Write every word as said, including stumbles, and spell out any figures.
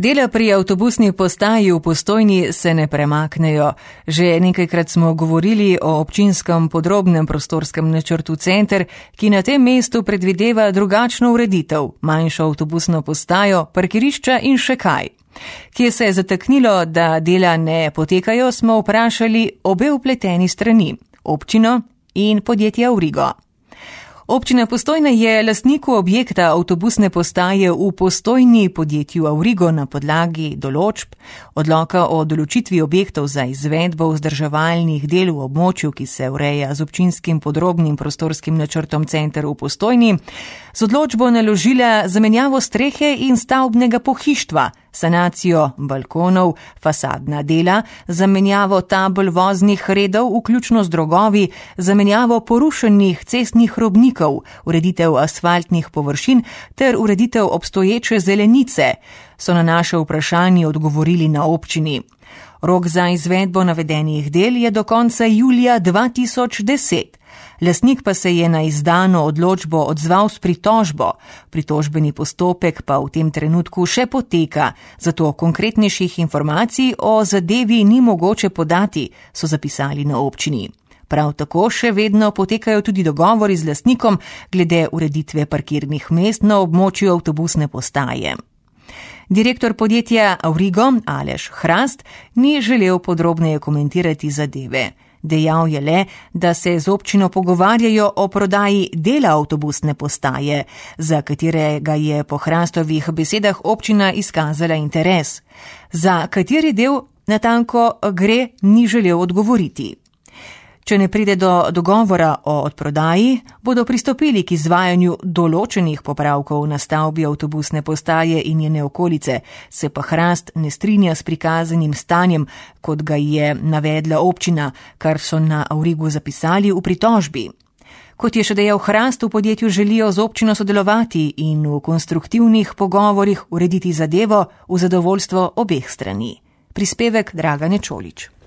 Dela pri avtobusni postaji v Postojni se ne premaknejo. Že nekajkrat smo govorili o občinskem podrobnem prostorskem načrtu Center, ki na tem mestu predvideva drugačno ureditev, manjšo avtobusno postajo, parkirišča in še kaj. Kje se je zataknilo, da dela ne potekajo, smo vprašali obe vpleteni strani, občino in podjetje Aurigo. Občina Postojna je lastniku objekta avtobusne postaje v Postojni podjetju Aurigo na podlagi določb odloka o določitvi objektov za izvedbo vzdrževalnih del v območju, ki se ureja z občinskim podrobnim prostorskim načrtom Center v Postojni, z odločbo naložila zamenjavo strehe in stavbnega pohištva, sanacijo balkonov, fasadna dela, zamenjavo tabel voznih redov, vključno z drogovi, zamenjavo porušenih cestnih robnikov, ureditev asfaltnih površin ter ureditev obstoječe zelenice, so na naše vprašanje odgovorili na občini. Rok za izvedbo navedenih del je do konca julija dva tisoč deset. Lastnik pa se je na izdano odločbo odzval s pritožbo. Pritožbeni postopek pa v tem trenutku še poteka, zato konkretnejših informacij o zadevi ni mogoče podati, so zapisali na občini. Prav tako še vedno potekajo tudi dogovori z lastnikom glede ureditve parkirnih mest na območju avtobusne postaje. Direktor podjetja Aurigo, Aleš Hrast, ni želel podrobneje komentirati zadeve. Dejal je le, da se z občino pogovarjajo o prodaji dela avtobusne postaje, za katerega je po Hrastovih besedah občina izkazala interes. Za kateri del natanko gre, ni želel odgovoriti. Če ne pride do dogovora o odprodaji, bodo pristopili k izvajanju določenih popravkov na stavbi avtobusne postaje in njene okolice, se pa Hrast ne strinja s prikazanim stanjem, kot ga je navedla občina, kar so na Aurigu zapisali v pritožbi. Kot je še dejal Hrast, v podjetju želijo z občino sodelovati in v konstruktivnih pogovorih urediti zadevo v zadovoljstvo obeh strani. Prispevek Dragane Čolič.